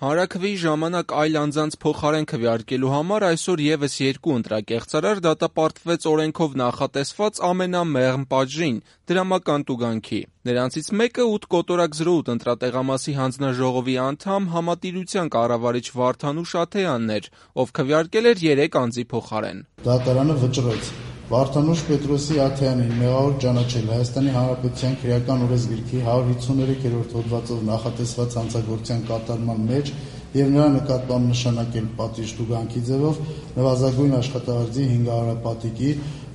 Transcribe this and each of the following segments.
Հանրաքվեի ժամանակ այլ անձանց փոխարեն քվեարկելու համար այսօր ևս 2 ընտրակեղծարար դատապարտվեց օրենքով նախատեսված ամենամեղմ պատժին՝ դրամական տուգանքի։ Նրանցից մեկը 8.08 ընտրատեղամասի հանձնաժողովի անդամ Համատիրության կառավարիչ Վարդանուշ Աթեյանն էր, ով քվեարկել էր 3 անձի փոխարեն։ Դատարանը վճռեց Վարդանուշ Պետրոսի Աթեյանին մեղավոր ճանաչել Հայաստանի Հանրապետության քրեական օրենսգրքի 153-րդ հոդվածով նախատեսված հանցագործության կատարման մեջ եւ նրա նկատմամբ նշանակել պատիժ տուգանքի ձևով նվազագույն աշխատավարձի 500 պատիկի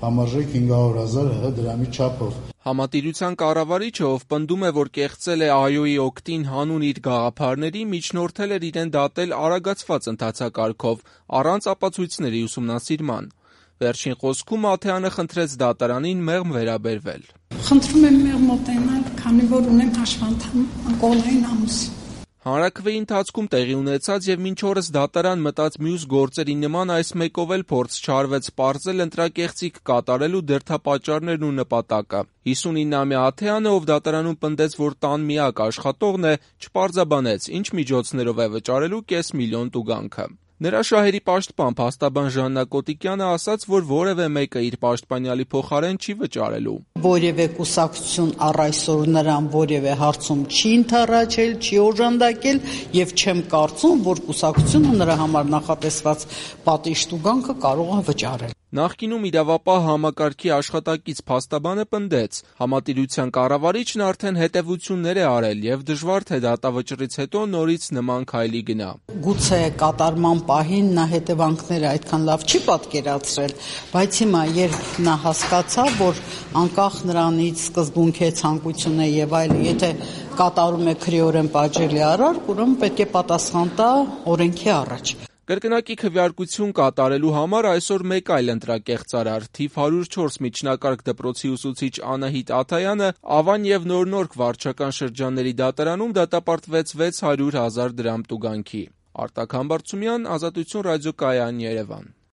համարժեք 500,000 ՀՀ դրամի չափով։ Համատիրության կառավարիչը, ով պնդում է, որ կեղծել է ԱՅՈ-ի օգտին հանուն իր գաղափարների, միջնորդել էր իրեն դատել արագացված ընթացակարգով, առանց ապացույցների ուսումնասիրման։ Վերջին խոսքում Աթեյանը խնդրեց դատարանին մեղմ վերաբերվել։ Խնդրում եմ մեղմ մոտենալ, քանի որ ունեմ հաշվանդամ անկողնային ամուս։ Հանրաքվեի ընթացքում տեղի ունեցած եւ մինչ օրս դատարան մտած մյուս գործերի նման այս մեկով էլ փորձ չարվեց պարզել ընտրակեղծիք կատարելու դրդապատճառներն ու նպատակը։ 59-ամյա Աթեյանը, ով դատարանում պնդեց, որ տան միակ աշխատողն է, չպարզաբանեց, ինչ միջոցներով է վճարելու $500,000 տուգանքը։ Նրա շահերի պաշտպան փաստաբան Ժաննա Կոտիկյանը ասաց, որ որևէ մեկը իր պաշտպանյալի փոխարեն չի վճարելու։ Որևէ կուսակցություն առ այսօր նրան որևէ հարցում չի ընդառաջել, չի օժանդակել եւ չեմ կարծում, որ կուսակցությունը նրա համար նախատեսված պատիժ տուգանքը կարող է վճարել։ Նախկինում իրավապահ համակարգի աշխատակից փաստաբանը պնդեց. Համատիրության կառավարիչն արդեն հետևություններ է արել եւ դժվար թե դատավճռից հետո նորից նման քայլի գնա։ Գուցե կատարման պահին նա հետևանքները այդքան լավ չի պատկերացրել, բայց հիմա երբ նա հասկացավ, որ անկախ նրանից սկզբունքի ցանկություն է եւ այլ, եթե կատարում է քրեորեն պատժելի արարք, ուրեմն պետք է պատասխան տա օրենքի առաջ։ Կրկնակի քվեարկություն կատարելու համար այսօր մեկ այլ ընտրակեղծարար, թիվ 104 միջնակարգ դպրոցի ուսուցիչ Անահիտ Աթայանը Ավան եւ Նորնորք վարչական շրջանների դատարանում դատապարտվեց 600,000 դրամ տուգանքի։ Արտակ Համբարձումյան, Ազատություն ռադիոկայան, Երևան։